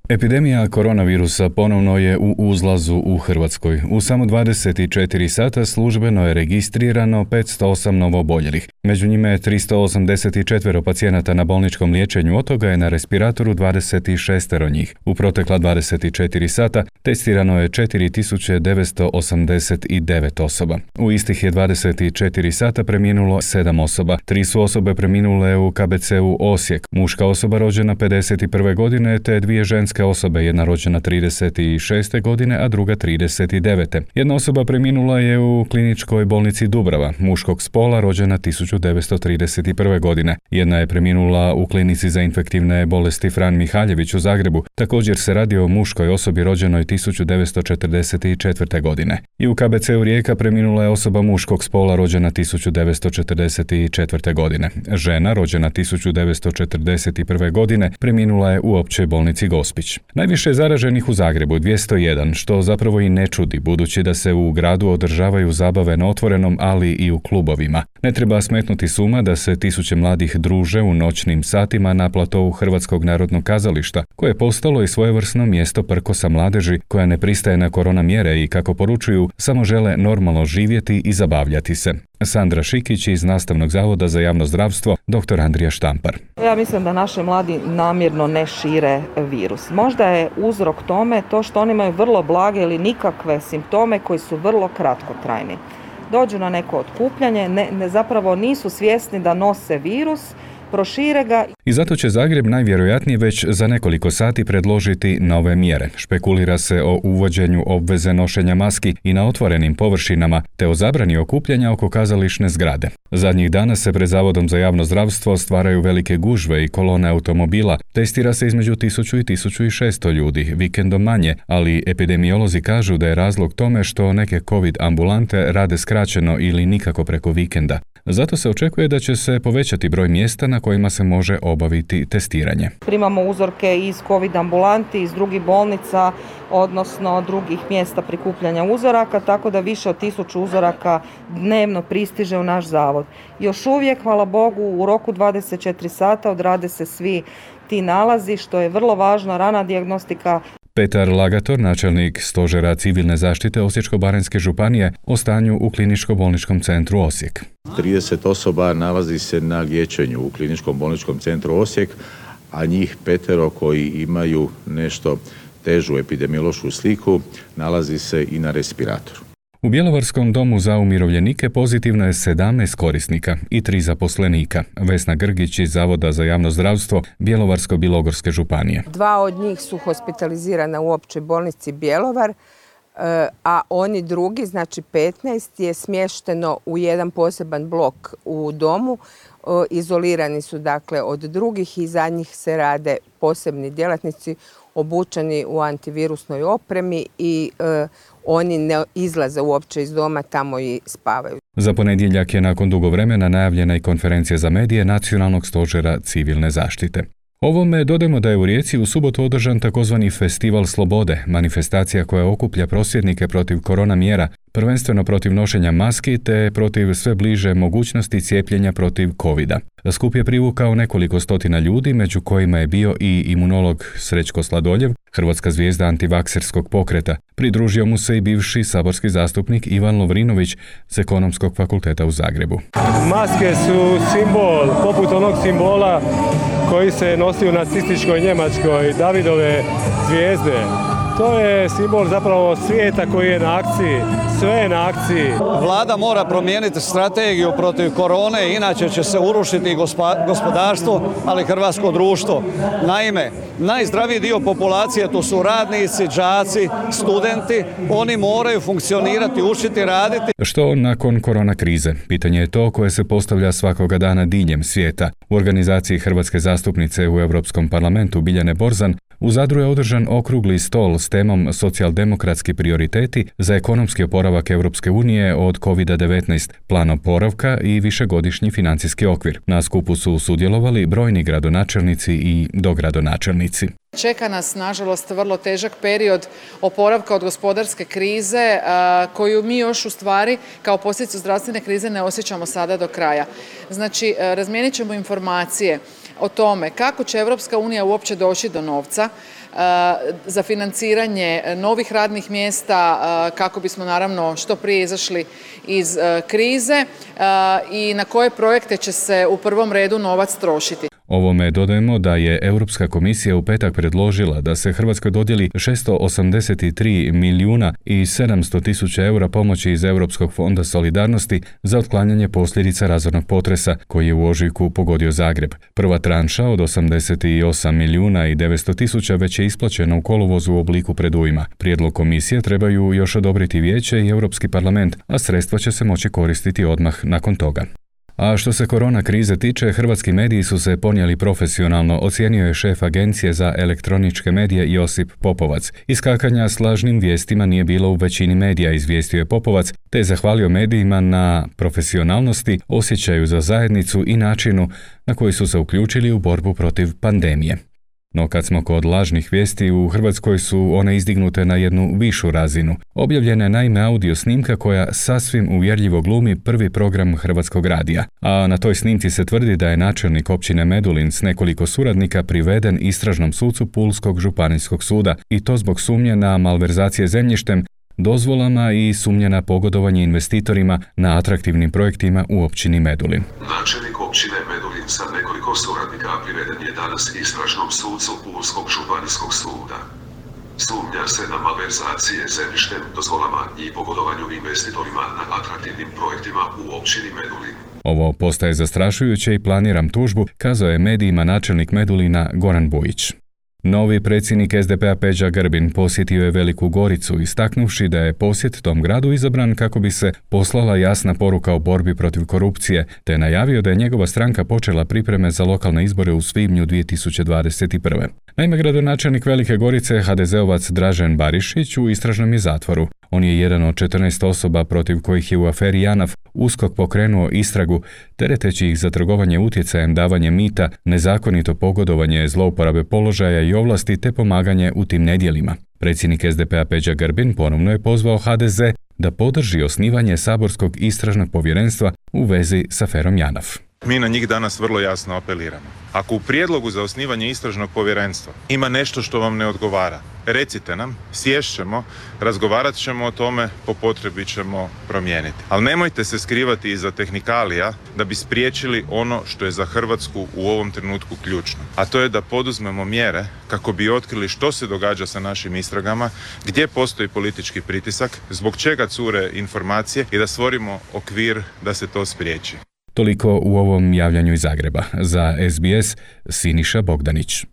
Epidemija koronavirusa ponovno je u uzlazu u Hrvatskoj. U samo 24 sata službeno je registrirano 508 novooboljelih. Među njima je 384 pacijenata na bolničkom liječenju, od toga je na respiratoru 26 njih. U protekla 24 sata testirano je 4989 osoba. U istih je 24 sata preminulo 7 osoba. 3 su osobe preminule u KBC-u Osijek. Muška osoba rođena 51. godine te 2 ženske osobe, jedna rođena 36. godine, a druga 39. Jedna osoba preminula je u kliničkoj bolnici Dubrava, muškog spola, rođena 1931. godine. Jedna je preminula u klinici za infektivne bolesti Fran Mihaljević u Zagrebu. Također se radi o muškoj osobi rođenoj 1944. godine. I u KBC-u Rijeka preminula je osoba muškog spola rođena 1944. godine. Žena rođena 1941. godine preminula je u općoj bolnici Gospić. Najviše je zaraženih u Zagrebu, 201, što zapravo i ne čudi, budući da se u gradu održavaju zabave na otvorenom, ali i u klubovima. Ne treba smetnuti s uma da se tisuće mladih druže u noćnim satima na platovu Hrvatskog narodnog kazališta, koje je postalo i svojevrsno mjesto prkosa mladeži koja ne pristaje na korona mjere i, kako poručuju, samo žele normalno živjeti i zabavljati se. Sandra Šikić iz Nastavnog zavoda za javno zdravstvo, dr. Andrija Štampar. Ja mislim da naši mladi namjerno ne šire virus. Možda je uzrok tome to što oni imaju vrlo blage ili nikakve simptome koji su vrlo kratkotrajni. Dođu na neko okupljanje, zapravo nisu svjesni da nose virus, prošire ga. I zato će Zagreb najvjerojatnije već za nekoliko sati predložiti nove mjere. Špekulira se o uvođenju obveze nošenja maski i na otvorenim površinama, te o zabrani okupljanja oko kazališne zgrade. Zadnjih dana se pred Zavodom za javno zdravstvo stvaraju velike gužve i kolone automobila. Testira se između 1000 i 1600 ljudi, vikendom manje, ali epidemiolozi kažu da je razlog tome što neke COVID ambulante rade skraćeno ili nikako preko vikenda. Zato se očekuje da će se povećati broj mjesta na kojima se može obaviti testiranje. Primamo uzorke iz COVID ambulanti, iz drugih bolnica, odnosno drugih mjesta prikupljanja uzoraka, tako da više od 1000 uzoraka dnevno pristiže u naš zavod. Još uvijek, hvala Bogu, u roku 24 sata odrade se svi ti nalazi, što je vrlo važno, rana dijagnostika. Petar Lagator, načelnik Stožera civilne zaštite Osječko-baranjske županije, o stanju u Kliničko-bolničkom centru Osijek. 30 osoba nalazi se na liječenju u Kliničkom bolničkom centru Osijek, a njih 5 koji imaju nešto težu epidemiološku sliku nalazi se i na respiratoru. U Bjelovarskom domu za umirovljenike pozitivno je 17 korisnika i 3 zaposlenika. Vesna Grgić iz Zavoda za javno zdravstvo Bjelovarsko-bilogorske županije. 2 od njih su hospitalizirana u općoj bolnici Bjelovar, a oni drugi, znači 15, je smješteno u jedan poseban blok u domu. Izolirani su dakle od drugih i za njih se rade posebni djelatnici obučeni u antivirusnoj opremi i oni ne izlaze uopće iz doma, tamo i spavaju. Za ponedjeljak je nakon dugo vremena najavljena i konferencija za medije Nacionalnog stožera civilne zaštite. Ovome dodajmo da je u Rijeci u subotu održan takozvani Festival slobode, manifestacija koja okuplja prosvjednike protiv korona mjera, prvenstveno protiv nošenja maski te protiv sve bliže mogućnosti cijepljenja protiv covida. Skup je privukao nekoliko stotina ljudi, među kojima je bio i imunolog Srećko Sladoljev, hrvatska zvijezda antivakserskog pokreta. Pridružio mu se i bivši saborski zastupnik Ivan Lovrinović s Ekonomskog fakulteta u Zagrebu. Maske su simbol, poput onog simbola koji se nosi u nacističkoj Njemačkoj, Davidove zvijezde. To je simbol zapravo svijeta koji je na akciji, sve je na akciji. Vlada mora promijeniti strategiju protiv korone, inače će se urušiti i gospodarstvo, ali i hrvatsko društvo. Naime, najzdraviji dio populacije to su radnici, đaci, studenti, oni moraju funkcionirati, učiti, raditi. Što nakon korona krize? Pitanje je to koje se postavlja svakoga dana diljem svijeta. U organizaciji hrvatske zastupnice u Europskom parlamentu Biljane Borzan u Zadru je održan okrugli stol s temom socijaldemokratski prioriteti za ekonomski oporavak Europske unije od COVID-19, plan oporavka i višegodišnji financijski okvir. Na skupu su sudjelovali brojni gradonačelnici i dogradonačelnici. Čeka nas, nažalost, vrlo težak period oporavka od gospodarske krize koju mi još u stvari kao posljedicu zdravstvene krize ne osjećamo sada do kraja. Znači, razmijenit ćemo informacije, o tome kako će Europska unija uopće doći do novca za financiranje novih radnih mjesta kako bismo naravno što prije izašli iz krize i na koje projekte će se u prvom redu novac trošiti. Ovome dodajemo da je Europska komisija u petak predložila da se Hrvatskoj dodijeli 683 milijuna i 700 tisuća eura pomoći iz Europskog fonda solidarnosti za otklanjanje posljedica razornog potresa koji je u ožujku pogodio Zagreb. Prva tranša od 88 milijuna i 900 tisuća već je isplaćena u kolovozu u obliku predujma. Prijedlog komisije trebaju još odobriti Vijeće i Europski parlament, a sredstva će se moći koristiti odmah nakon toga. A što se korona krize tiče, hrvatski mediji su se ponijeli profesionalno, ocijenio je šef Agencije za elektroničke medije Josip Popovac. Iskakanja s lažnim vijestima nije bilo u većini medija, izvijestio je Popovac, te je zahvalio medijima na profesionalnosti, osjećaju za zajednicu i načinu na koji su se uključili u borbu protiv pandemije. No kad smo kod lažnih vijesti, u Hrvatskoj su one izdignute na jednu višu razinu. Objavljena je naime audio snimka koja sasvim uvjerljivo glumi prvi program Hrvatskog radija. A na toj snimci se tvrdi da je načelnik općine Medulin s nekoliko suradnika priveden istražnom sucu Pulskog županijskog suda i to zbog sumnje na malverzacije zemljištem, dozvolama i sumnje na pogodovanje investitorima na atraktivnim projektima u općini Medulin. Načelnik općine Medulin sa nekoliko suradnika priveden je danas istražnom sucu Pulskog županijskog suda. Sumnja se na malverzacije zemljištem, dozvolama i pogodovanju investitorima na atraktivnim projektima u općini Medulin. Ovo postaje zastrašujuće i planiram tužbu, kazao je medijima načelnik Medulina Goran Bujić. Novi predsjednik SDP-a Peđa Grbin posjetio je Veliku Goricu, istaknuvši da je posjet tom gradu izabran kako bi se poslala jasna poruka o borbi protiv korupcije, te najavio da je njegova stranka počela pripreme za lokalne izbore u svibnju 2021. Naime, gradonačelnik Velike Gorice, HDZ-ovac Dražen Barišić, u istražnom je zatvoru. On je jedan od 14 osoba protiv kojih je u aferi JANAF USKOK pokrenuo istragu, tereteći ih za trgovanje utjecajem, davanje mita, nezakonito pogodovanje, zlouporabe položaja i ovlasti te pomaganje u tim nedjelima. Predsjednik SDP-a Peđa Grbin ponovno je pozvao HDZ da podrži osnivanje saborskog istražnog povjerenstva u vezi s aferom JANAF. Mi na njih danas vrlo jasno apeliramo. Ako u prijedlogu za osnivanje istražnog povjerenstva ima nešto što vam ne odgovara, recite nam, sješćemo, razgovarat ćemo o tome, po potrebi ćemo promijeniti. Ali nemojte se skrivati iza tehnikalija da bi spriječili ono što je za Hrvatsku u ovom trenutku ključno. A to je da poduzmemo mjere kako bi otkrili što se događa sa našim istragama, gdje postoji politički pritisak, zbog čega cure informacije i da stvorimo okvir da se to spriječi. Toliko u ovom javljanju iz Zagreba. Za SBS Siniša Bogdanić.